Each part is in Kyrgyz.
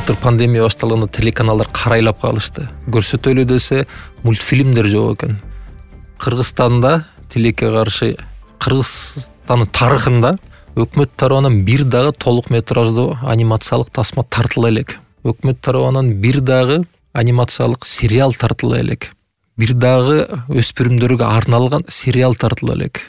Былтыр пандемия башталганда телеканалдар карайлап калышты. Көрсөтөлү десе мультфильмдер жок экен. Кыргызстанда тилекке каршы Кыргызстандын тарыхында өкмөт тарабынан бир дагы толук метраждуу анимациялык тасма тартыла элек. Өкмөт тарабынан бир дагы анимациялык сериал тартыла элек. Бир дагы өспүрүмдөргө арналган сериал тартыла элек.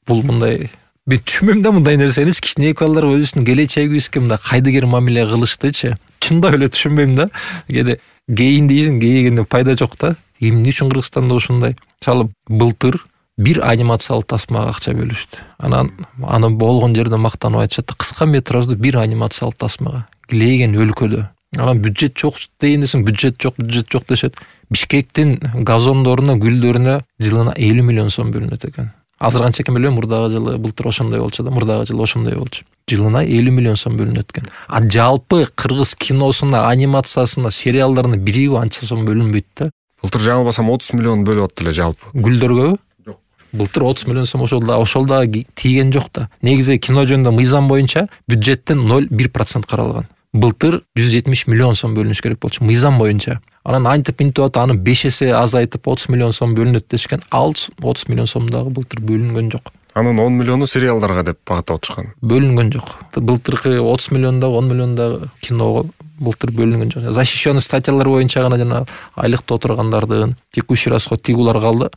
Бул мындай мен түшүнбөйм да мындай нерсени. Кичине балдар өзүнүн келечегибизге мындай кайдыгер мамиле кылыштычы. Чындап эле түшүнбөйм да. Кээде гейин дейсиң, гейгенде пайда жок да. Эмне үчүн Кыргызстанда ушундай? Мисалы былтыр бир анимациялык тасмага акча бөлүштү. Аны болгон жерде мактанып айтышат. Кыска метраждуу бир анимациялык тасмага килеген өлкөдө. Бюджет жок дейин десең, бюджет жок дешет. Бишкектин газондоруна, гүлдөрүнө жылына 50 миллион сом бөлүнөт экен. Азыр канча экен билбейм, мурдагы жылы былтыр ошондой болчу да, мурдагы жылы ошондой болчу. Жылына 50 миллион сом бөлүнөт экен. Жалпы кыргыз киносуна, анимациясына, сериалдарына бириби анча сом бөлүнбөйт да. Былтыр жаңылбасам 30 миллион бөлүп аттылы жалпы. Гүлдөргөбү? Жок. Былтыр 30 миллион сом ошол да тийген жок да. Негизи кино жөнүндө мыйзам боюнча бюджеттен 0,1% каралган. Былтыр 170 миллион сом бөлүнүш керек болчу мыйзам боюнча. Анан антип атып аны 5 эсе азайтып 30 миллион сом бөлүнөт дешкен. Ал 30 миллион сом дагы былтыр бөлүнгөн жок. Анын 10 миллиону сериалдарга деп багыттап отурушкан. Бөлүнгөн жок. Былтыркы 30 миллионда 10 миллионда киного былтыр бөлүнгөн жок. Защищенный статьялар боюнча гана жана айлыкта отургандардын текущий расход тигулар калды.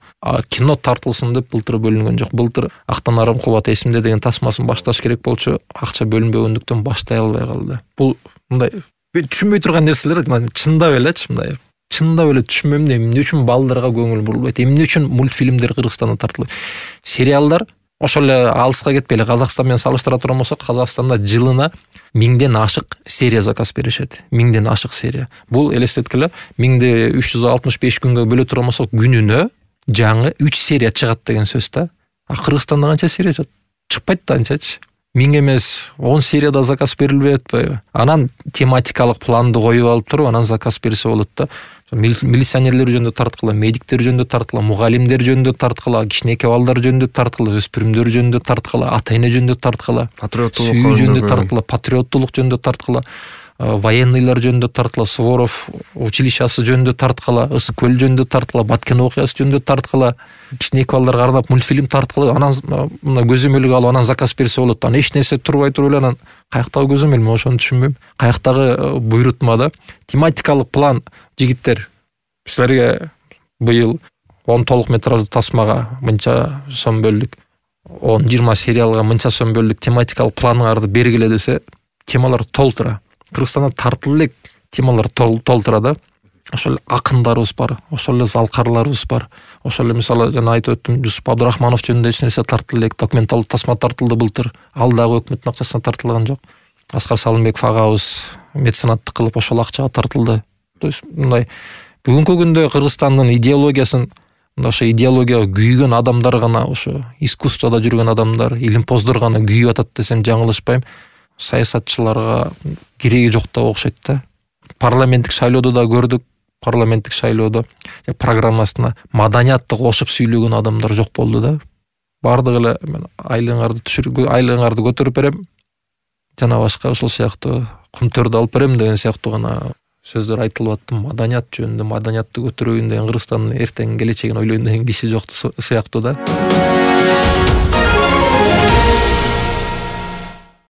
Кино тартылсын деп былтыр бөлүнгөн жок. Былтыр Актан Арым Кубат эсимде деген тасмасын башташ керек болчу. Акча бөлүнбөгөндүктөн баштай албай калды. Бул мындай түшүнбөй турган нерселер, чындап элечи мындай. Чындап эле түшүнбөйм да, эмне үчүн балдарга көңүл бурулбайт? Эмне үчүн мультфильмдер Кыргызстанда тартылбайт? Сериалдар ошол эле алыска кетпей эле Казакстан менен салыштыра турган болсок, Казакстанда жылына 1000ден ашык серия заказ беришет. 1000ден ашык серия. Бул элестеткиле 1365 күнгө бөлө турган болсок, күнүнө жаңы 3 серия чыгат деген сөз да. Кыргызстанда канча серия чыкпайт да анчачы. 1000 эмес 10 серияда заказ берилбей атпайбы? Анан тематикалык планды коюп алып туруп, анан заказ берсе болот да. Милиционерлер жөнүндө тарткыла, медиктер жөнүндө тарткыла, мугалимдер жөнүндө тарткыла, кичинекей балдар жөнүндө тарткыла, өспүрүмдөр жөнүндө тарткыла, ата-эне жөнүндө тарткыла, патриоттулук жөнүндө тарткыла, патриоттулук жөнүндө тарткыла, военныйлар жөнүндө тарткыла, Суворов училищасы жөнүндө тарткыла, Ысык көл жөнүндө тарткыла, Баткен окуясы жөнүндө тарткыла, кичинекей балдарга арнап мультфильм тарткыла, анан мына көзөмөлгө алып анан заказ берсе болот. Анан эч нерсе турбай туруп эле анан каяктагы көзөмөл, мен ошону түшүнбөйм. Каяктагы буйрутмада тематикалык план, жигиттер, силерге быйыл 10 толук метраждуу тасмага мынча сом бөлдүк, 10-20 сериалга мынча сом бөлдүк, тематикалык планыңарды бергиле десе, темалар толтура. Кыргызстанда тартылып элек темалар толтура да. Ошол акындарыбыз бар, ошол эле залкарларыбыз бар. Ошол эле мисалы жана айтып өттүм, Жусуп Абдурахманов жөнүндө эч нерсе тартылып элек, документалдык тасма тартылды былтыр. Ал дагы өкмөттүн акчасына тартылган жок. Аскар Салымбеков агабыз меценаттык кылып ошол акчага тартылды. То есть мындай бүгүнкү күндө Кыргызстандын идеологиясын ошо идеологияга күйгөн адамдар гана, ошо искусствода жүргөн адамдар, илимпоздор гана күйүп атат десем жаңылышпайм. Саясатчыларга кереги жок да окшойт да. Парламенттик шайлоодо да көрдүк, парламенттик шайлоодо программасына маданияттык кошуп сүйлөгөн адамдар жок болду да. Бардыгы эле мен айлыгыңарды көтөрүп берем, жана башка ошол сыяктуу кумтөрдү алып берем деген сыяктуу гана сөздөр айтылып атты. Маданият жөнүндө, маданиятты көтөрөйүн деген, Кыргызстандын эртең келечегин ойлойм деген киши жок сыяктуу да.